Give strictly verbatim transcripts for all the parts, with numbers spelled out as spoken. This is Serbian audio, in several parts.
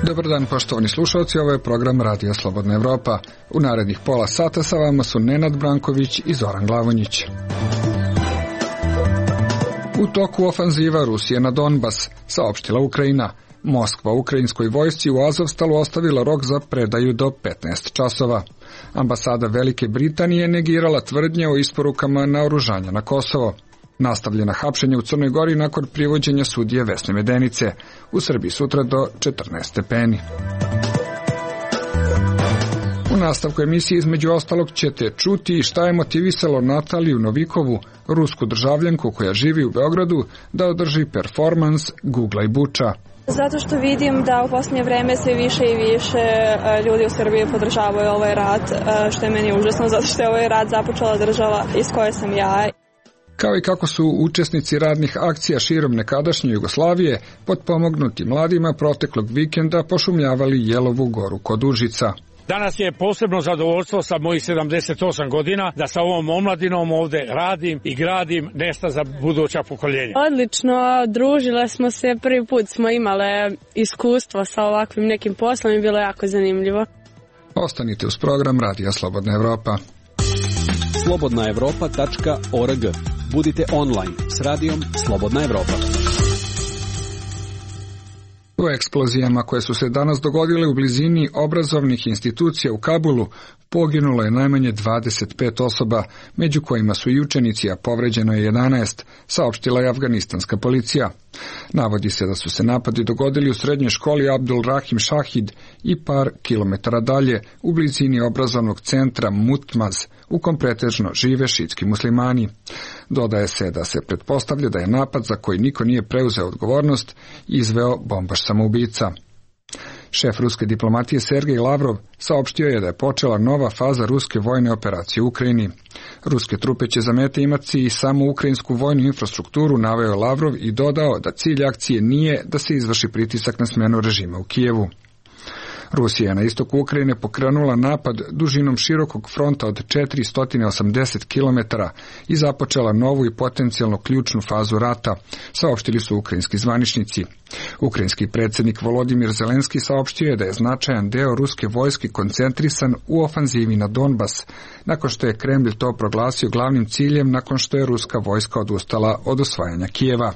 Dobar dan, poštovani slušalci, ovo je program Radija Slobodna Evropa. U narednih pola sata sa vama su Nenad Branković i Zoran Glavonjić. U toku ofanziva Rusije na Donbas, saopštila Ukrajina. Moskva ukrajinskoj vojsci u Azovstalu ostavila rok za predaju do petnaest časova. Ambasada Velike Britanije negirala tvrdnje o isporukama naoružanja na Kosovo. Nastavljena hapšenja u Crnoj Gori nakon privođenja sudije Vesne Medenice. U Srbiji sutra do četrnaest stepeni. U nastavku emisije između ostalog ćete čuti šta je motivisalo Nataliju Novikovu, rusku državljanku koja živi u Beogradu, da održi performans Gugla i Buča. Zato što vidim da u posljednje vreme sve više i više ljudi u Srbiji podržavaju ovaj rat, što je meni užasno, zato što je ovaj rat započela država iz koje sam ja. Kao i kako su učesnici radnih akcija širom nekadašnje Jugoslavije potpomognuti mladima proteklog vikenda pošumljavali Jelovu goru kod Užica. Danas je posebno zadovoljstvo sa mojih sedamdeset osam godina da sa ovom omladinom ovde radim i gradim nesta za buduća pokoljenja. Odlično, družile smo se, prvi put smo imale iskustvo sa ovakvim nekim poslom i bilo jako zanimljivo. Ostanite uz program Radija Slobodna Evropa. slobodna evropa tačka org. Budite online s radijom Slobodna Evropa. U eksplozijama koje su se danas dogodile u blizini obrazovnih institucija u Kabulu poginulo je najmanje dvadeset pet osoba, među kojima su i učenici, a povređeno je jedanaest, saopštila je afganistanska policija. Navodi se da su se napadi dogodili u srednjoj školi Abdul Rahim Shahid i par kilometara dalje, u blizini obrazovnog centra Mutmaz, u kom pretežno žive šitski muslimani. Dodaje se da se pretpostavlja da je napad za koji niko nije preuzeo odgovornost izveo bombaš samoubica. Šef ruske diplomatije Sergej Lavrov saopštio je da je počela nova faza ruske vojne operacije u Ukrajini. Ruske trupe će za mete imati i samo ukrajinsku vojnu infrastrukturu, naveo Lavrov i dodao da cilj akcije nije da se izvrši pritisak na smenu režima u Kijevu. Rusija je na istoku Ukrajine pokrenula napad dužinom širokog fronta od četiristo osamdeset kilometara i započela novu i potencijalno ključnu fazu rata, saopštili su ukrajinski zvaničnici. Ukrajinski predsjednik Volodimir Zelenski saopštio je da je značajan deo ruske vojske koncentrisan u ofanzivi na Donbas, nakon što je Kremlj to proglasio glavnim ciljem nakon što je ruska vojska odustala od osvajanja Kijeva.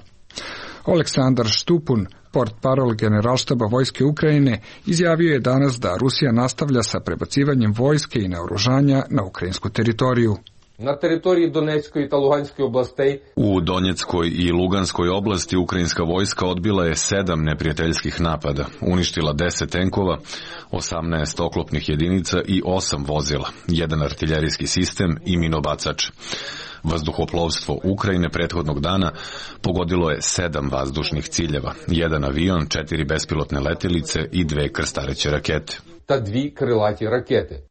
Aleksandar Štupun, portparol Generalštaba vojske Ukrajine, izjavio je danas da Rusija nastavlja sa prebacivanjem vojske i naoružanja na ukrajinsku teritoriju. Na teritoriji Donetskoj i Luganskoj oblasti. U Donjeckoj i Luganskoj oblasti ukrajinska vojska odbila je sedam neprijateljskih napada, uništila deset tenkova, osamnaest oklopnih jedinica i osam vozila, jedan artiljerijski sistem i minobacač. Vazduhoplovstvo Ukrajine prethodnog dana pogodilo je sedam vazdušnih ciljeva, jedan avion, četiri bespilotne letelice i dve krstareće rakete. Ta dvi krilati rakete.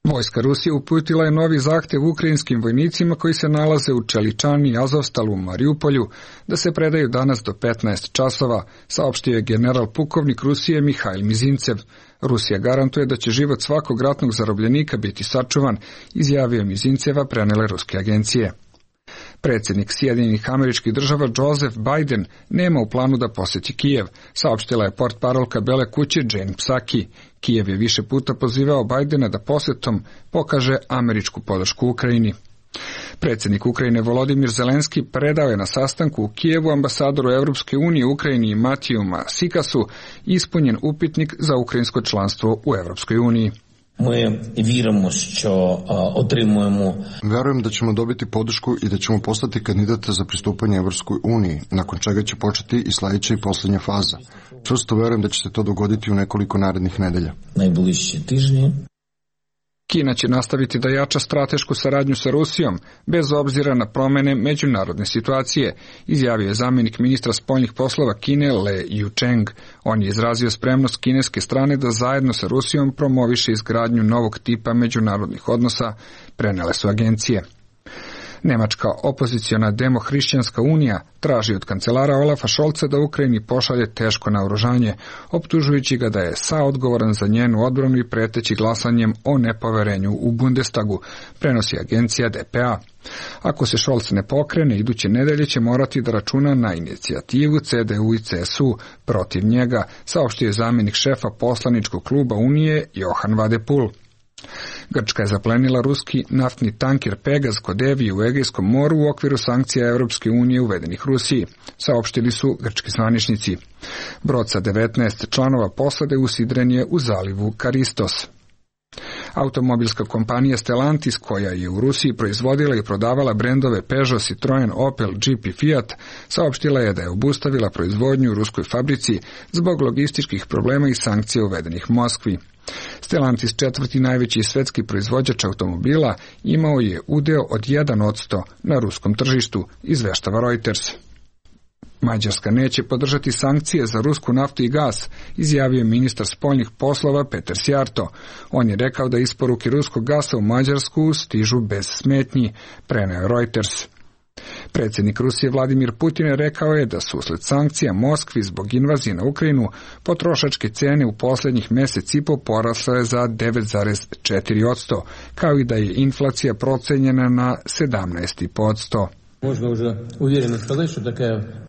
Vojska Rusije uputila je novi zahtev ukrajinskim vojnicima koji se nalaze u Čeličani, Azovstalu, Mariupolju, da se predaju danas do petnaest časova, saopštio je general pukovnik Rusije Mihajl Mizincev. Rusija garantuje da će život svakog ratnog zarobljenika biti sačuvan, izjavio Mizinceva, prenele ruske agencije. Predsjednik Sjedinjenih Američkih Država Joseph Biden nema u planu da posjeti Kijev, saopštila je portparolka Bele kuće Jen Psaki. Kijev je više puta pozivao Bidena da posjetom pokaže američku podršku Ukrajini. Predsjednik Ukrajine Volodimir Zelenski predao je na sastanku u Kijevu ambasadoru Europske unije u Ukrajini Matiju Sikasu ispunjen upitnik za ukrajinsko članstvo u Europskoj uniji. Mi vjerujemo što otrimujemo. Verujem da ćemo dobiti podršku i da ćemo postati kandidata za pristupanje Evropskoj uniji, nakon čega će početi i sljedeća i posljednja faza. Čvrsto verujem da će se to dogoditi u nekoliko narednih nedelja. Najbližće tižnje. Kina će nastaviti da jača stratešku saradnju sa Rusijom, bez obzira na promjene međunarodne situacije, izjavio je zamjenik ministra spoljnih poslova Kine Le Yucheng. On je izrazio spremnost kineske strane da zajedno sa Rusijom promoviše izgradnju novog tipa međunarodnih odnosa, prenele su agencije. Nemačka opoziciona Demohrišćanska unija traži od kancelara Olafa Šolca da Ukrajini pošalje teško naoružanje, optužujući ga da je saodgovoran za njenu odbranu i preteći glasanjem o nepoverenju u Bundestagu, prenosi agencija D P A. Ako se Šolc ne pokrene, iduće nedelje će morati da računa na inicijativu C D U i C S U protiv njega, saopštio je zamjenik šefa poslaničkog kluba Unije Johan Vadepul. Grčka je zaplenila ruski naftni tanker Pegaz kod Evije u Egejskom moru u okviru sankcija Europske unije uvedenih Rusiji, saopštili su grčki zvaničnici. Brod sa devetnaest članova posade usidren je u zalivu Karistos. Automobilska kompanija Stellantis, koja je u Rusiji proizvodila i prodavala brendove Peugeot, Citroen, Opel, Jeep i Fiat, saopštila je da je obustavila proizvodnju u ruskoj fabrici zbog logističkih problema i sankcija uvedenih Moskvi. Stellantis, četvrti najveći svetski proizvođač automobila, imao je udeo od jedan posto na ruskom tržištu, izveštava Reuters. Mađarska neće podržati sankcije za rusku naftu i gas, izjavio je ministar spoljnih poslova Peter Sjarto. On je rekao da isporuke ruskog gasa u Mađarsku stižu bez smetnji, preneo Reuters. Predsjednik Rusije Vladimir Putin je rekao je da su usled sankcija Moskvi zbog invazije na Ukrajinu potrošačke cene u posljednjih mjesec i po porasle za devet zarez četiri posto, kao i da je inflacija procenjena na sedamnaest zarez pet posto.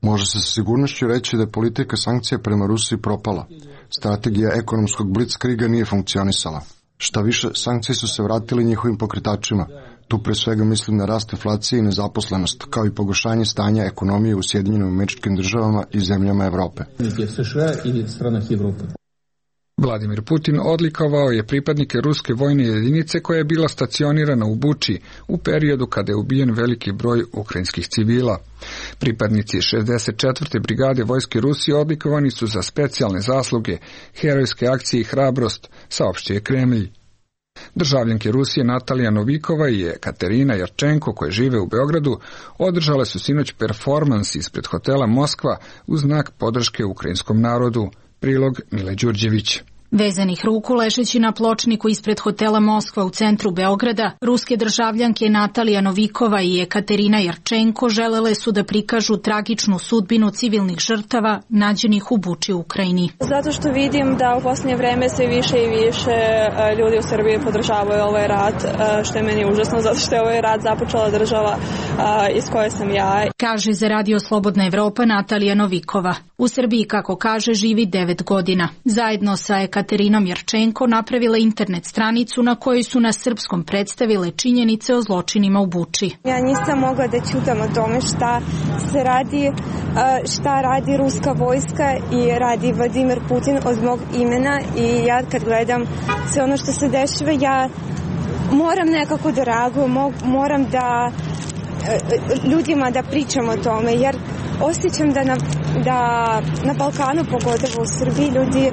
Može se sa sigurnošću reći da je politika sankcija prema Rusiji propala. Strategija ekonomskog blitzkriga nije funkcionisala. Šta više, sankcije su se vratili njihovim pokretačima. Tu pre svega mislim na rast inflacije i nezaposlenost, kao i pogoršanje stanja ekonomije u Sjedinjenim Američkim Državama i zemljama Evrope. Vladimir Putin odlikovao je pripadnike ruske vojne jedinice koja je bila stacionirana u Buči u periodu kada je ubijen veliki broj ukrajinskih civila. Pripadnici šezdeset četvrte brigade vojske Rusije odlikovani su za specijalne zasluge, herojske akcije i hrabrost, saopštio je Kremlj. Državljanke Rusije Natalija Novikova i Katerina Jarčenko, koje žive u Beogradu, održale su sinoć performans ispred hotela Moskva u znak podrške ukrajinskom narodu. Prilog Mile Đurđević. Vezanih ruku ležeći na pločniku ispred hotela Moskva u centru Beograda, ruske državljanke Natalija Novikova i Ekaterina Jarčenko želele su da prikažu tragičnu sudbinu civilnih žrtava nađenih u Buči u Ukrajini. Zato što vidim da u posljednje vreme sve više i više ljudi u Srbiji podržavaju ovaj rat, što je meni užasno, zato što je ovaj rat započela država iz koje sam ja. Kaže za Radio Slobodna Evropa Natalija Novikova. U Srbiji, kako kaže, živi devet godina. Zajedno sa Ekaterinom Jarčenko napravila internet stranicu na kojoj su na srpskom predstavile činjenice o zločinima u Buči. Ja nisam mogla da ćutam o tome šta se radi, šta radi ruska vojska i radi Vladimir Putin od mog imena, i ja kad gledam sve ono što se dešava, ja moram nekako da reagujem, moram da ljudima da pričam o tome, jer osjećam da na, da na Balkanu, pogotovo u Srbiji, ljudi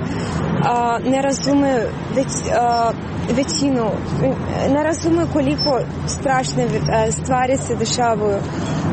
a, ne razumeju već, a, većinu, ne razumeju koliko strašne a, stvari se dešavaju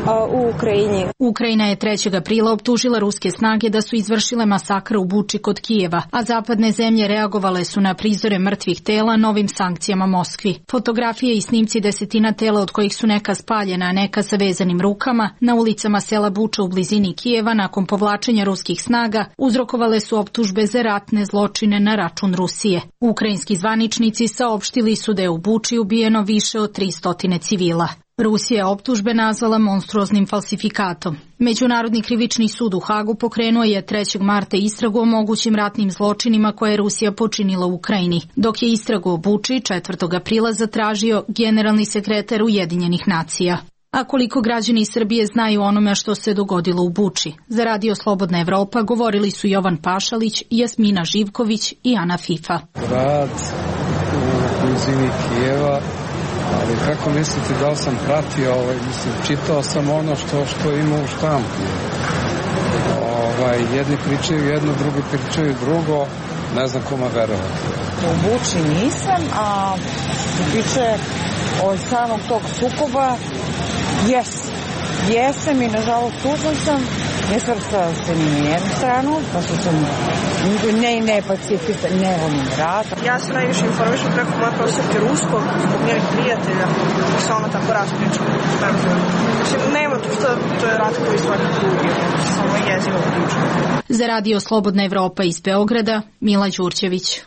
a, u Ukrajini. Ukrajina je trećeg aprila optužila ruske snage da su izvršile masakr u Buči kod Kijeva, a zapadne zemlje reagovale su na prizore mrtvih tela novim sankcijama Moskvi. Fotografije i snimci desetina tela, od kojih su neka spaljena, a neka sa vezanim rukama, na ulicama sela Buča u blizini Kijeva nakon povlačenja ruskih snaga uzrokovale su optužbe za ratne zločine na račun Rusije. Ukrajinski zvaničnici saopštili su da je u Buči ubijeno više od tristo civila. Rusija je optužbe nazvala monstruoznim falsifikatom. Međunarodni krivični sud u Hagu pokrenuo je trećeg marta istragu o mogućim ratnim zločinima koje je Rusija počinila u Ukrajini, dok je istragu o Buči četvrtog aprila zatražio generalni sekretar Ujedinjenih nacija. A koliko građani Srbije znaju onome što se dogodilo u Buči? Za Radio Slobodna Evropa govorili su Jovan Pašalić, Jasmina Živković i Ana Fifa. Grad u blizini Kijeva, ali kako mislite da li sam pratio, ovaj, mislim, čitao sam ono što, što ima u štampu. Ovaj, jedni pričaju jedno, drugi pričaju drugo, ne znam kome verovati. U Buči nisam, a tiče od samog tog sukoba, jes, jesam i nažalost tužan sam, ne svrstao se ni na jednu stranu, pošto sam ne, ne pacifista, ne volim rat. Ja se najviše informišem preko moje profesorke ruskog, zbog njenih prijatelja, i se ona tako raspričala. Mislim, nema tu što, to je rat koji svaki drugi, samo jezivo priča. Za Radio Slobodna Evropa iz Beograda, Mila Đurđević.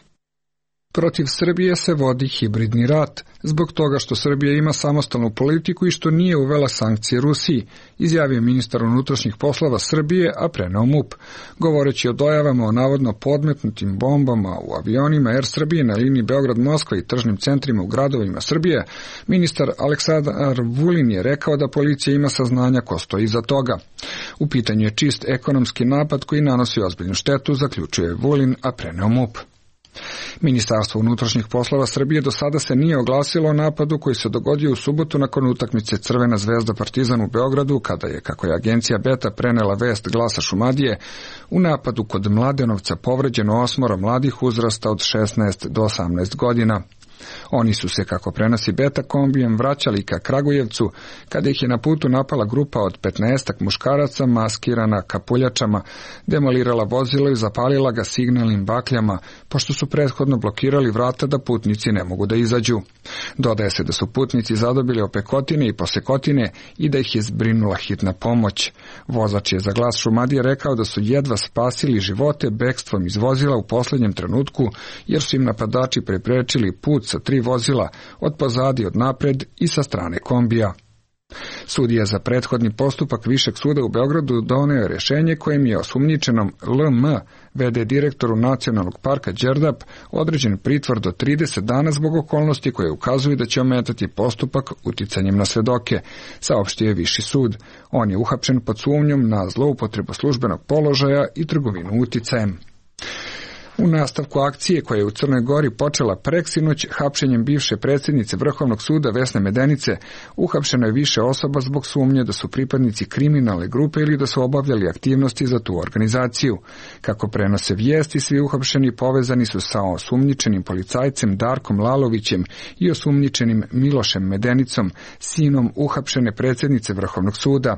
Protiv Srbije se vodi hibridni rat, zbog toga što Srbija ima samostalnu politiku i što nije uvela sankcije Rusiji, izjavio ministar unutrašnjih poslova Srbije, a preneo MUP. Govoreći o dojavama o navodno podmetnutim bombama u avionima Er Srbije na liniji Beograd-Moskva i tržnim centrima u gradovima Srbije, ministar Aleksandar Vulin je rekao da policija ima saznanja ko stoji iza toga. U pitanju je čist ekonomski napad koji nanosi ozbiljnu štetu, zaključuje Vulin, a preneo MUP. Ministarstvo unutrašnjih poslova Srbije do sada se nije oglasilo o napadu koji se dogodio u subotu nakon utakmice Crvena zvezda Partizan u Beogradu, kada je, kako je agencija Beta prenela vest Glasa Šumadije, u napadu kod Mladenovca povređeno osmoro mladih uzrasta od šesnaest do osamnaest godina. Oni su se, kako prenosi Beta, kombijem vraćali ka Kragujevcu, kada ih je na putu napala grupa od petnaestak muškaraca maskirana kapuljačama, demolirala vozilo i zapalila ga signalnim bakljama, pošto su prethodno blokirali vrata da putnici ne mogu da izađu. Dodaje se da su putnici zadobili opekotine i posekotine i da ih je zbrinula hitna pomoć. Vozač je za Glas Šumadije rekao da su jedva spasili živote bekstvom iz vozila u poslednjem trenutku, jer su im napadači preprečili put sa tri vozila, od pozadi, od napred i sa strane kombija. Sudija za prethodni postupak Višeg suda u Beogradu doneo je rješenje kojim je osumnjičenom L M, v d direktoru Nacionalnog parka Đerdap, određen pritvor do trideset dana zbog okolnosti koje ukazuju da će ometati postupak uticanjem na svedoke, saopštio je Viši sud. On je uhapšen pod sumnjom na zloupotrebu službenog položaja i trgovinu uticajem. U nastavku akcije koja je u Crnoj Gori počela preksinoć hapšenjem bivše predsjednice Vrhovnog suda Vesne Medenice, uhapšeno je više osoba zbog sumnje da su pripadnici kriminalne grupe ili da su obavljali aktivnosti za tu organizaciju. Kako prenose vijesti, svi uhapšeni povezani su sa osumnjičenim policajcem Darkom Lalovićem i osumnjičenim Milošem Medenicom, sinom uhapšene predsjednice Vrhovnog suda.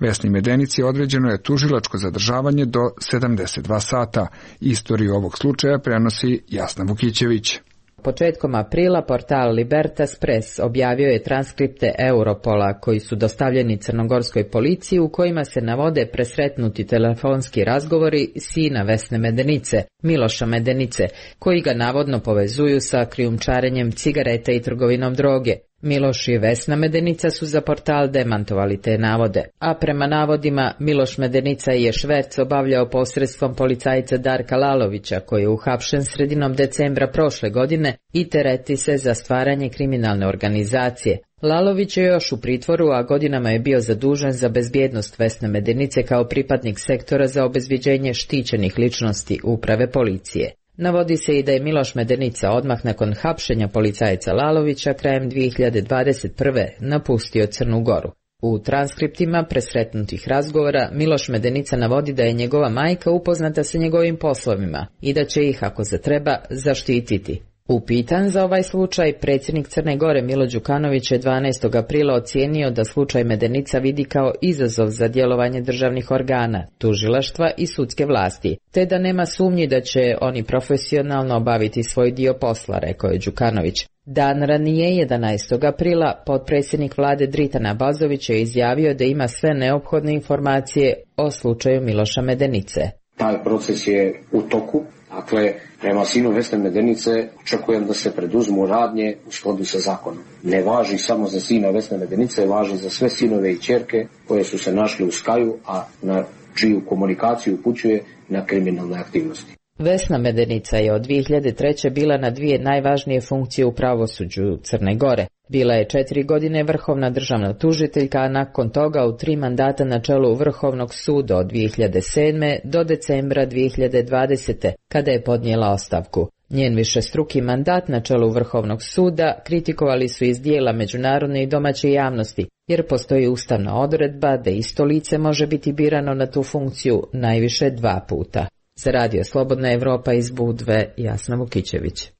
Vesni Medenici određeno je tužilačko zadržavanje do sedamdeset dva sata. Istoriju ovog slučaja prenosi Jasna Vukićević. Početkom aprila portal Libertas Press objavio je transkripte Europola koji su dostavljeni crnogorskoj policiji u kojima se navode presretnuti telefonski razgovori sina Vesne Medenice, Miloša Medenice, koji ga navodno povezuju sa krijumčarenjem cigareta i trgovinom droge. Miloš i Vesna Medenica su za portal demantovali te navode, a prema navodima Miloš Medenica je šverc obavljao posredstvom policajca Darka Lalovića, koji je uhapšen sredinom decembra prošle godine i tereti se za stvaranje kriminalne organizacije. Lalović je još u pritvoru, a godinama je bio zadužen za bezbjednost Vesne Medenice kao pripadnik sektora za obezbjeđenje štićenih ličnosti uprave policije. Navodi se i da je Miloš Medenica odmah nakon hapšenja policajca Lalovića krajem dvije hiljade dvadeset prve napustio Crnu Goru. U transkriptima presretnutih razgovora Miloš Medenica navodi da je njegova majka upoznata sa njegovim poslovima i da će ih, ako zatreba, zaštititi. Upitan za ovaj slučaj, predsjednik Crne Gore Milo Đukanović je dvanaestog aprila ocijenio da slučaj Medenica vidi kao izazov za djelovanje državnih organa, tužilaštva i sudske vlasti, te da nema sumnji da će oni profesionalno obaviti svoj dio posla, rekao je Đukanović. Dan ranije, jedanaestog aprila, potpredsjednik vlade Dritan Abazović je izjavio da ima sve neophodne informacije o slučaju Miloša Medenice. Taj proces je u toku. Dakle, prema sinu Vesne Medenice očekujem da se preduzmu radnje u skladu sa zakonom. Ne važi samo za sina Vesne Medenice, važi za sve sinove i ćerke koje su se našli u Skaju, a na čiju komunikaciju upućuje na kriminalne aktivnosti. Vesna Medenica je od dvije hiljade treće bila na dvije najvažnije funkcije u pravosuđu Crne Gore. Bila je četiri godine vrhovna državna tužiteljka, a nakon toga u tri mandata na čelu Vrhovnog suda od dvije hiljade sedme do decembra dvije hiljade dvadesete, kada je podnijela ostavku. Njen višestruki mandat na čelu Vrhovnog suda kritikovali su iz dijela međunarodne i domaće javnosti, jer postoji ustavna odredba da isto lice može biti birano na tu funkciju najviše dva puta. Za Radio Slobodna Evropa iz Budve, Jasna Vukićević.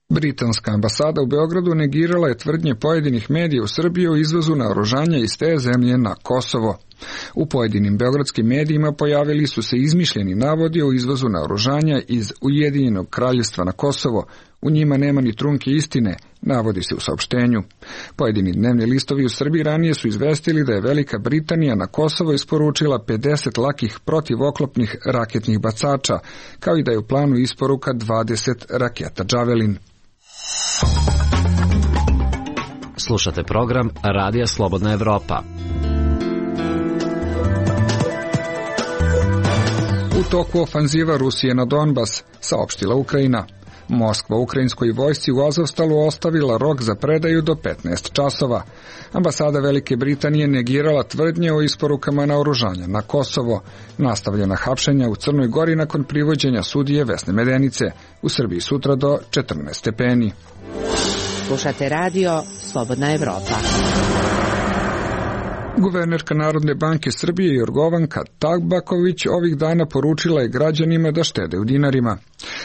Britanska ambasada u Beogradu negirala je tvrdnje pojedinih medija u Srbiji o izvozu naoružanja iz te zemlje na Kosovo. U pojedinim beogradskim medijima pojavili su se izmišljeni navodi o izvozu naoružanja iz Ujedinjenog kraljevstva na Kosovo. U njima nema ni trunke istine, navodi se u saopštenju. Pojedini dnevni listovi u Srbiji ranije su izvestili da je Velika Britanija na Kosovo isporučila pedeset lakih protivoklopnih raketnih bacača, kao i da je u planu isporuka dvadeset raketa Javelin. Slušate program Radija Slobodna Evropa. U toku ofanziva Rusije na Donbas, saopštila Ukrajina. Moskva ukrajinskoj vojsci u Azovstalu ostavila rok za predaju do petnaest časova. Ambasada Velike Britanije negirala tvrdnje o isporukama naoružanja na Kosovo. Nastavljena hapšenja u Crnoj Gori nakon privođenja sudije Vesne Medenice. U Srbiji sutra do četrnaest stepeni. Slušate radio Slobodna Evropa. Guvernerka Narodne banke Srbije Jorgovanka Tabaković ovih dana poručila je građanima da štede u dinarima.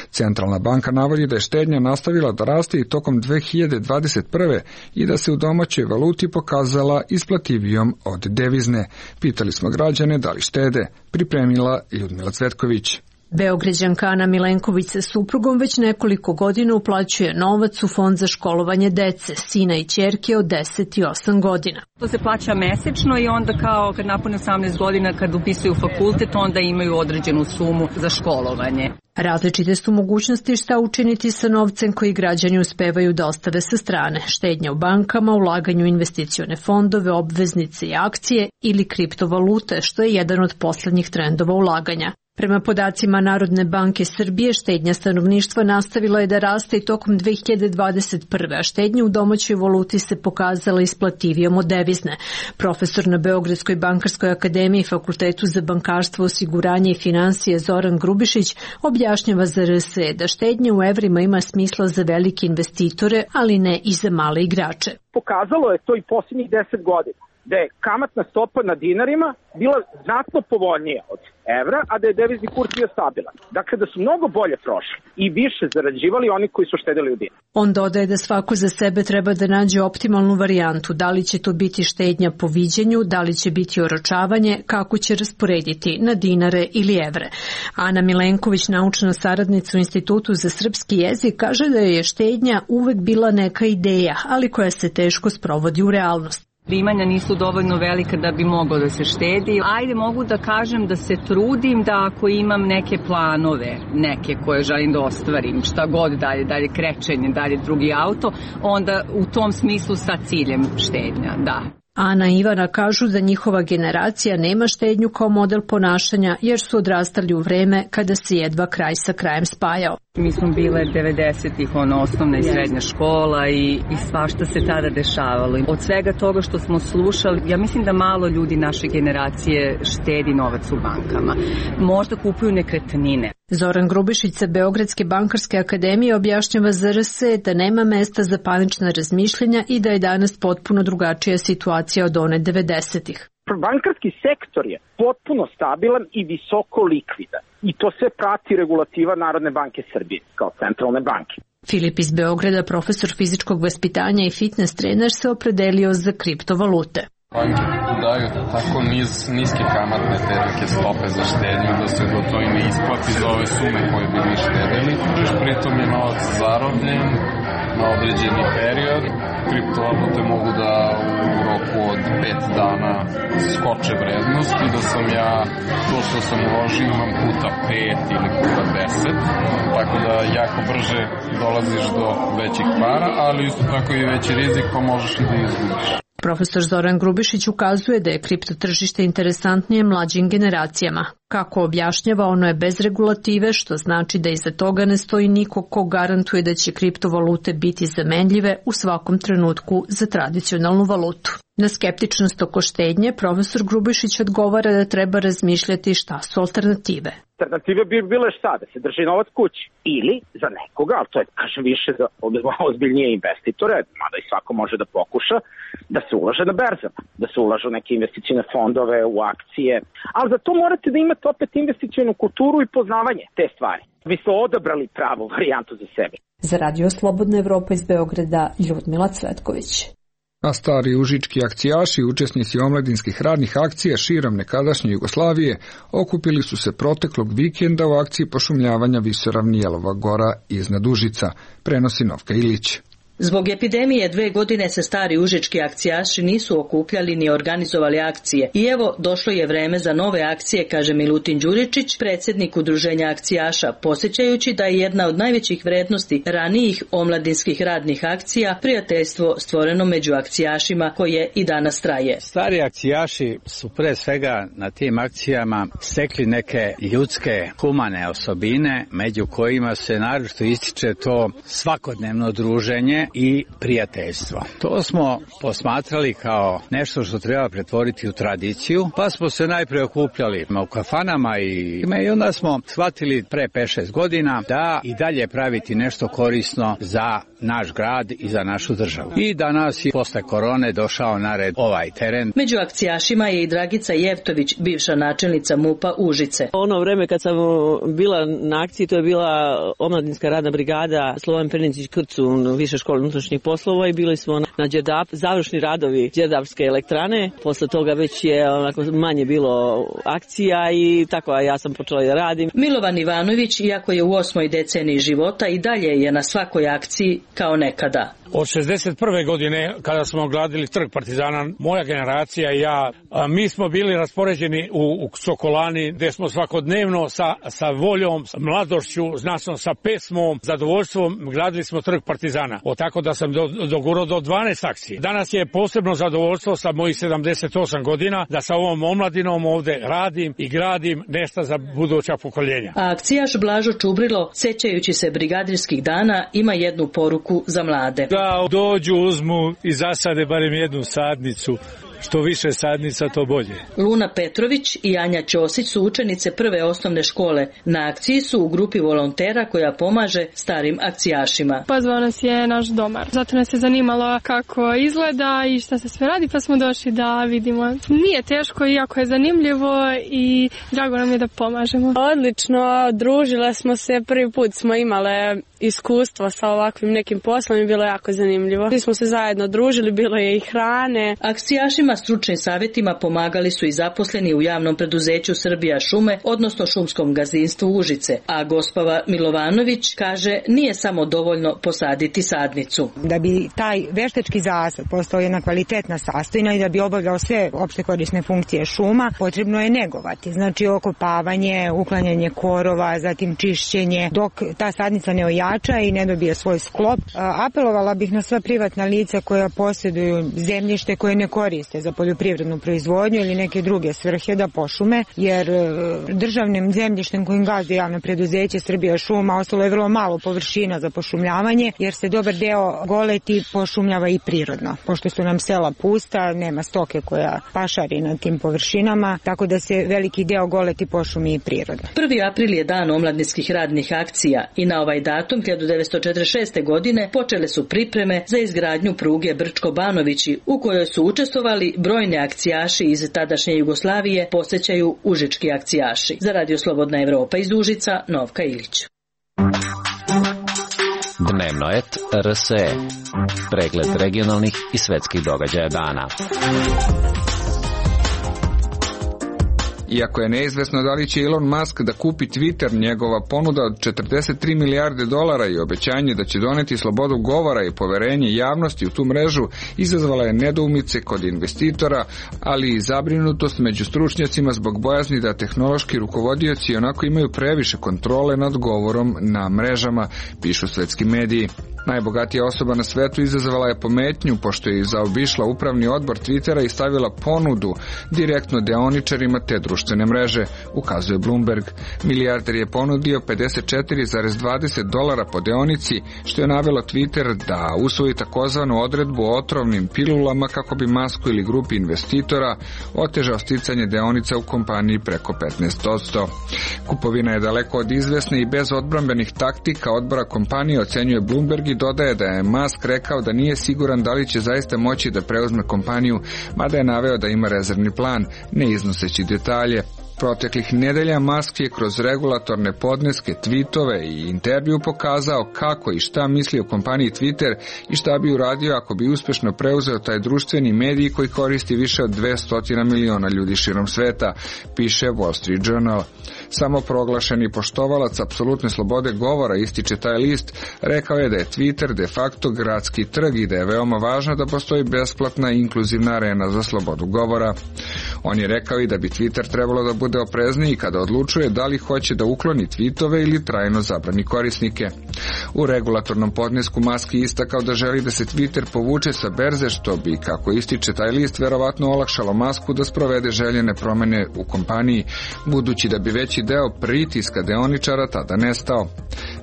Centralna banka navodi da je štednja nastavila da raste i tokom dve hiljade dvadeset prve i da se u domaćoj valuti pokazala isplativijom od devizne. Pitali smo građane da li štede, pripremila Ljudmila Cvetković. Beograđanka Ana Milenković sa suprugom već nekoliko godina uplaćuje novac u fond za školovanje dece, sina i ćerke od deset i osam godina. To se plaća mesečno i onda kao kad napune osamnaest godina, kad upisuju fakultet, onda imaju određenu sumu za školovanje. Različite su mogućnosti šta učiniti sa novcem koji građani uspevaju da ostave sa strane. Štednja u bankama, ulaganju u investicione fondove, obveznice i akcije ili kriptovalute, što je jedan od poslednjih trendova ulaganja. Prema podacima Narodne banke Srbije, štednja stanovništva nastavila je da raste i tokom dve hiljade dvadeset prve, a štednja u domaćoj valuti se pokazala isplativijom od devizne. Profesor na Beogradskoj bankarskoj akademiji i Fakultetu za bankarstvo, osiguranje i finansije Zoran Grubišić objašnjava za R S E da štednja u evrima ima smisla za velike investitore, ali ne i za male igrače. Pokazalo je to i posljednjih deset godina, da je kamatna stopa na dinarima bila znatno povoljnija od evra, a da je devizni kurs bio stabilan. Dakle, da su mnogo bolje prošli i više zarađivali oni koji su štedili u dinar. On dodaje da svako za sebe treba da nađe optimalnu varijantu, da li će to biti štednja po viđenju, da li će biti oročavanje, kako će rasporediti na dinare ili evre. Ana Milenković, naučna saradnica u Institutu za srpski jezik, kaže da je štednja uvek bila neka ideja, ali koja se teško sprovodi u realnost. Primanja nisu dovoljno velika da bi moglo da se štedi. Ajde, mogu da kažem da se trudim da ako imam neke planove, neke koje želim da ostvarim, šta god dalje, dalje krećenje, dalje drugi auto, onda u tom smislu sa ciljem štednja, da. Ana i Ivana kažu da njihova generacija nema štednju kao model ponašanja jer su odrastali u vreme kada se jedva kraj sa krajem spajao. Mi smo bile devedesetih, ono, osnovna i srednja škola i, i svašta se tada dešavalo. Od svega toga što smo slušali, ja mislim da malo ljudi naše generacije štedi novac u bankama. Možda kupuju nekretnine. Zoran Grubišić sa Beogradske bankarske akademije objašnjava za R S E da nema mesta za panična razmišljenja i da je danas potpuno drugačija situacija od one devedesetih. Bankarski sektor je potpuno stabilan i visoko likvidan. I to sve prati regulativa Narodne banke Srbije kao centralne banke. Filip iz Beograda, profesor fizičkog vaspitanja i fitness trener, se opredelio za kriptovalute. Banke daju tako niz, niske kamatne te neke stope za štednju da se do to i ne isplati za ove sume koje bi mi štedili. Pritom je novac zarobljen na određeni period. Kriptovalute mogu da u roku od pet dana skoče vrednost i da sam ja to što sam uložio imam puta pet ili puta deset. Tako da jako brže dolaziš do većih para, ali isto tako i veći rizik pa možeš i da izgubiš. Profesor Zoran Grubišić ukazuje da je kriptotržište interesantnije mlađim generacijama. Kako objašnjava, ono je bez regulative, što znači da iza toga ne stoji niko ko garantuje da će kriptovalute biti zamenljive u svakom trenutku za tradicionalnu valutu. Na skeptičnost oko štednje, profesor Grubišić odgovara da treba razmišljati šta su alternative. Alternative bi bile šta? Da se drži novac kući. Ili za nekoga, ali to je, kažem, više za ozbiljnije investitore, mada i svako može da pokuša, da se ulaže na berzama, da se ulažu neke investicijne fondove, u akcije. Ali za to morate da imate opet investicijonu kulturu i poznavanje te stvari. Mi smo odabrali pravu varijantu za sebe. Za Radio Slobodna Evropa iz Beograda, Ljudmila Cvetković. A stari užički akcijaši, učesnici omladinskih radnih akcija širom nekadašnje Jugoslavije, okupili su se proteklog vikenda u akciji pošumljavanja visoravni Jelova Gora iznad Užica, prenosi Novka Ilić. Zbog epidemije dve godine se stari užički akcijaši nisu okupljali ni organizovali akcije. I evo, došlo je vreme za nove akcije, kaže Milutin Đuričić, predsjednik udruženja akcijaša, posjećajući da je jedna od najvećih vrednosti ranijih omladinskih radnih akcija prijateljstvo stvoreno među akcijašima koje i danas traje. Stari akcijaši su pre svega na tim akcijama stekli neke ljudske, humane osobine, među kojima se naročito ističe to svakodnevno druženje i prijateljstvo. To smo posmatrali kao nešto što treba pretvoriti u tradiciju, pa smo se najprije okupljali u kafanama i, i onda smo shvatili pre pet šest godina da i dalje praviti nešto korisno za naš grad i za našu državu. I danas je posle korone došao na red ovaj teren. Među akcijašima je i Dragica Jevtović, bivša načelnica MUP-a Užice. Ono vreme kad sam bila na akciji, to je bila omladinska radna brigada Slovan Perničić Krcu, više škole unutrašnjih poslova, i bili smo na Đerdap, završni radovi Đerdapske elektrane. Posle toga već je onako manje bilo akcija i tako ja sam počela da radim. Milovan Ivanović, iako je u osmoj deceniji života, i dalje je na svakoj akciji kao nekada. Od šezdeset prve godine, kada smo gradili trg Partizana, moja generacija i ja, mi smo bili raspoređeni u, u Sokolani, gde smo svakodnevno sa, sa voljom, sa mladošću, značnom sa pesmom, zadovoljstvom gradili smo trg Partizana. O tako da sam do, dogurao do dvanaest akcije. Danas je posebno zadovoljstvo sa mojih sedamdeset osam godina da sa ovom omladinom ovde radim i gradim nešto za buduća pokoljenja. A akcijaš Blažo Čubrilo, sećajući se brigadirskih dana, ima jednu poruku za mlade. Da dođu, uzmu i zasade barem jednu sadnicu. Što više sadnica, to bolje. Luna Petrović i Anja Ćosić su učenice prve osnovne škole. Na akciji su u grupi volontera koja pomaže starim akcijašima. Pozvao nas je naš domar. Zato nas je zanimalo kako izgleda i šta se sve radi, pa smo došli da vidimo. Nije teško, iako je zanimljivo, i drago nam je da pomažemo. Odlično, družile smo se, prvi put smo imale iskustvo sa ovakvim nekim poslom i bilo jako zanimljivo. Mi smo se zajedno družili, bilo je i hrane. Akcijašima stručnim savjetima pomagali su i zaposleni u javnom preduzeću Srbija šume, odnosno šumskom gazdinstvu Užice, a gospava Milovanović kaže nije samo dovoljno posaditi sadnicu. Da bi taj veštački zasad postao jedna kvalitetna sastojina i da bi obavljao sve opšte korisne funkcije šuma, potrebno je negovati. Znači okopavanje, uklanjanje korova, zatim čišćenje, dok ta sadnica ne ojača i ne dobije svoj sklop. Apelovala bih na sva privatna lica koja posjeduju zemljište koje ne koriste za poljoprivrednu proizvodnju ili neke druge svrhe da pošume, jer državnim zemljištem kojim gazdi javno preduzeće Srbija šuma ostalo je vrlo malo površina za pošumljavanje, jer se dobar deo goleti pošumljava i prirodno. Pošto su nam sela pusta, nema stoke koja pašari na tim površinama, tako da se veliki deo goleti pošumi i prirodno. prvi april je dan omladinskih radnih akcija i na ovaj datum hiljadu devetsto četrdeset šeste. godine počele su pripreme za izgradnju pruge Brčko-Banovići, u kojoj su učestvovali brojni akcijaši iz tadašnje Jugoslavije, posjećaju užički akcijaši. Za Radio Slobodna Evropa iz Užica, Novka Ilić. Dnevnoet R S E. Pregled regionalnih i svetskih događaja dana. Iako je neizvesno da li će Elon Musk da kupi Twitter, njegova ponuda od četrdeset tri milijarde dolara i obećanje da će doneti slobodu govora i poverenje javnosti u tu mrežu izazvala je nedoumice kod investitora, ali i zabrinutost među stručnjacima zbog bojazni da tehnološki rukovodioci onako imaju previše kontrole nad govorom na mrežama, pišu svetski mediji. Najbogatija osoba na svetu izazvala je pometnju pošto je zaobišla upravni odbor Twittera i stavila ponudu direktno deoničarima te društvene mreže, ukazuje Bloomberg. Milijarder je ponudio pedeset četiri zarez dvadeset dolara po deonici, što je navelo Twitter da usvoji takozvanu odredbu o otrovnim pilulama kako bi Musku ili grupi investitora otežao sticanje deonica u kompaniji preko petnaest posto. Kupovina je daleko od izvesne i bez odbrambenih taktika odbora kompanije, ocenjuje Bloomberg i dodaje da je Musk rekao da nije siguran da li će zaista moći da preuzme kompaniju, mada je naveo da ima rezervni plan, ne iznoseći detalje. Proteklih nedelja Musk je kroz regulatorne podneske, tweetove i intervju pokazao kako i šta misli o kompaniji Twitter i šta bi uradio ako bi uspešno preuzeo taj društveni medij koji koristi više od dvesta miliona ljudi širom sveta, piše Wall Street Journal. Samo proglašeni poštovalac apsolutne slobode govora, ističe taj list, rekao je da je Twitter de facto gradski trg i da je veoma važno da postoji besplatna i inkluzivna arena za slobodu govora. On je rekao i da bi Twitter trebalo da bude oprezniji kada odlučuje da li hoće da ukloni tweetove ili trajno zabrani korisnike. U regulatornom podnesku Musk je istakao da želi da se Twitter povuče sa berze, što bi, kako ističe taj list, verovatno olakšalo Musku da sprovede željene promene u kompaniji, budući da bi veći deo pritiska deoničara tada nestao.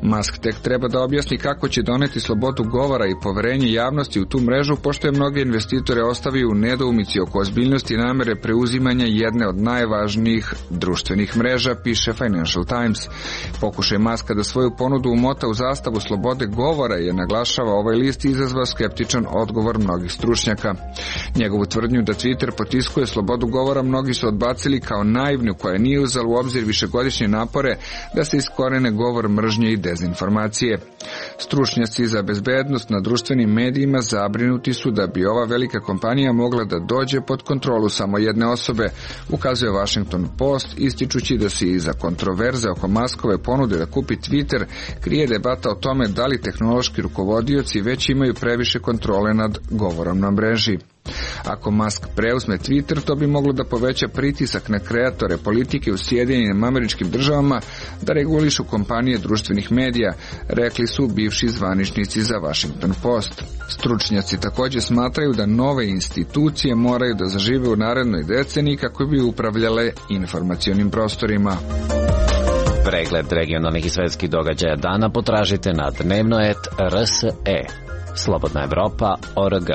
Musk tek treba da objasni kako će doneti slobodu govora i poverenje javnosti u tu mrežu, pošto je mnoge investitore ostavio u nedoumici oko ozbiljnosti namere preuzimanja jedne od najvažnijih društvenih mreža, piše Financial Times. Pokušaj Muska da svoju ponudu umota u zastavu slobode govora je, naglašava ovaj list, izazvao skeptičan odgovor mnogih stručnjaka. Njegovu tvrdnju da Twitter potiskuje slobodu govora mnogi su odbacili kao naivnu koja nije uzela u obzir višegodišnje napore da se iskorene govor mržnje i dezinformacije. Stručnjaci za bezbednost na društvenim medijima zabrinuti su da bi ova velika kompanija mogla da dođe pod kontrolu samo jedne osobe, ukazuje Washington Post, ističući da se iza kontroverze oko Muskove ponude da kupi Twitter krije debata o tome da li tehnološki rukovodioci već imaju previše kontrole nad govorom na mreži. Ako Musk preuzme Twitter, to bi moglo da poveća pritisak na kreatore politike u Sjedinjenim Američkim Državama da regulišu kompanije društvenih medija, rekli su bivši zvaničnici za Washington Post. Stručnjaci također smatraju da nove institucije moraju da zažive u narednoj deceniji kako bi upravljale informacionim prostorima. Pregled regionalnih i svetskih događaja dana potražite na dnevno et er es e. Slobodna Evropa точка орг.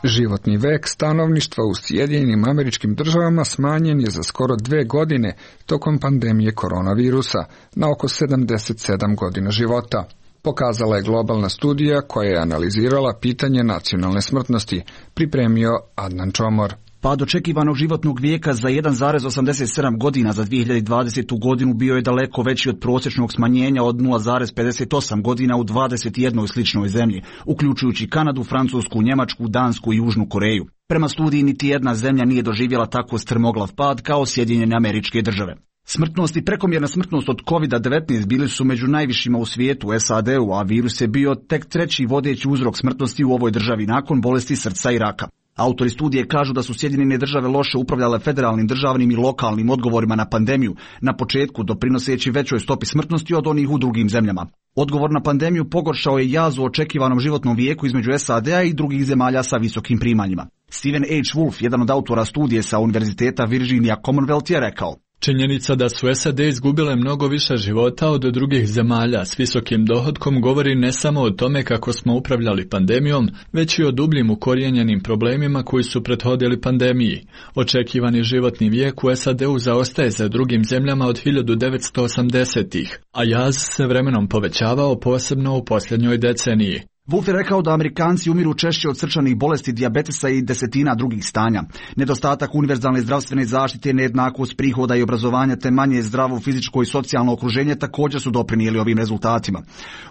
Životni vek stanovništva u Sjedinjenim Američkim Državama smanjen je za skoro dve godine tokom pandemije koronavirusa na oko sedamdeset sedam godina života. Pokazala je globalna studija koja je analizirala pitanje nacionalne smrtnosti, pripremio Adnan Čomor. Pad očekivanog životnog vijeka za jedan zarez osamdeset sedam godina za dvije hiljade dvadesetu. godinu bio je daleko veći od prosječnog smanjenja od nula zarez pedeset osam godina u dvadeset jednoj sličnoj zemlji, uključujući Kanadu, Francusku, Njemačku, Dansku i Južnu Koreju. Prema studiji niti jedna zemlja nije doživjela tako strmoglav pad kao Sjedinjene Američke Države. Smrtnost i prekomjerna smrtnost od kovid devetnaest bili su među najvišima u svijetu u es a de u, a virus je bio tek treći vodeći uzrok smrtnosti u ovoj državi nakon bolesti srca i raka. Autori studije kažu da su Sjedinjene Države loše upravljale federalnim, državnim i lokalnim odgovorima na pandemiju, na početku doprinoseći većoj stopi smrtnosti od onih u drugim zemljama. Odgovor na pandemiju pogoršao je jaz u očekivanom životnom vijeku između es a de-a i drugih zemalja sa visokim primanjima. Stephen H. Wolf, jedan od autora studije sa Univerziteta Virginia Commonwealth, je rekao: činjenica da su es a de izgubile mnogo više života od drugih zemalja s visokim dohotkom govori ne samo o tome kako smo upravljali pandemijom, već i o dubljim ukorijenjenim problemima koji su prethodili pandemiji. Očekivani životni vijek u es a de-u zaostaje za drugim zemljama od hiljadu devetsto osamdesetih, a jaz se vremenom povećavao posebno u posljednjoj deceniji. Wolf je rekao da Amerikanci umiru češće od srčanih bolesti, dijabetesa i desetina drugih stanja. Nedostatak univerzalne zdravstvene zaštite, nejednakost prihoda i obrazovanja te manje zdravo fizičko i socijalno okruženje također su doprinijeli ovim rezultatima.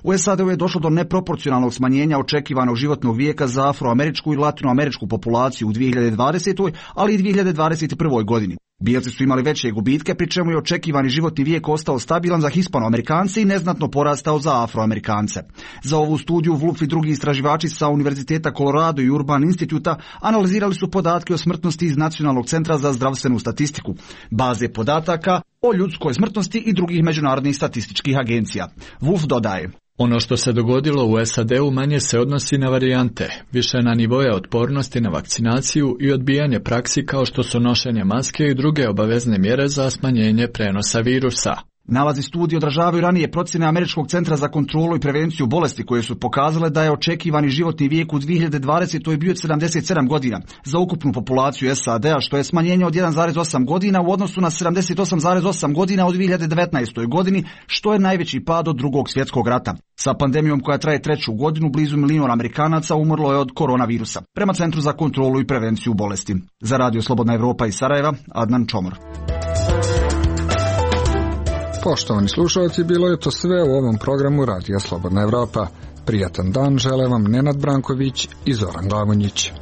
U es a de-u je došlo do neproporcionalnog smanjenja očekivanog životnog vijeka za afroameričku i latinoameričku populaciju u dvije hiljade dvadesetoj. ali i dvije hiljade dvadeset prvoj. godini. Bijelci su imali veće gubitke, pri čemu je očekivani životni vijek ostao stabilan za Hispanoamerikance i neznatno porastao za Afroamerikance. Za ovu studiju Wolf i drugi istraživači sa Univerziteta Colorado i Urban Instituta analizirali su podatke o smrtnosti iz Nacionalnog centra za zdravstvenu statistiku, baze podataka o ljudskoj smrtnosti i drugih međunarodnih statističkih agencija. Wolf dodaje: ono što se dogodilo u es a de-u manje se odnosi na varijante, više na nivoje otpornosti na vakcinaciju i odbijanje praksi kao što su nošenje maske i druge obavezne mjere za smanjenje prenosa virusa. Nalazi studije odražavaju ranije procjene Američkog centra za kontrolu i prevenciju bolesti koje su pokazale da je očekivani životni vijek u dvije hiljade dvadesetoj bio sedamdeset sedam godina za ukupnu populaciju S A D-a, što je smanjenje od jedan zarez osam godina u odnosu na sedamdeset osam zarez osam godina u dvije hiljade devetnaestoj godini, što je najveći pad od drugog svjetskog rata. Sa pandemijom koja traje treću godinu, blizu milijun Amerikanaca umrlo je od koronavirusa, prema Centru za kontrolu i prevenciju bolesti. Za Radio Slobodna Evropa iz Sarajeva, Adnan Čomor. Poštovani slušalci, bilo je to sve u ovom programu Radija Slobodna Evropa. Prijatan dan žele vam Nenad Branković i Zoran Glavonjić.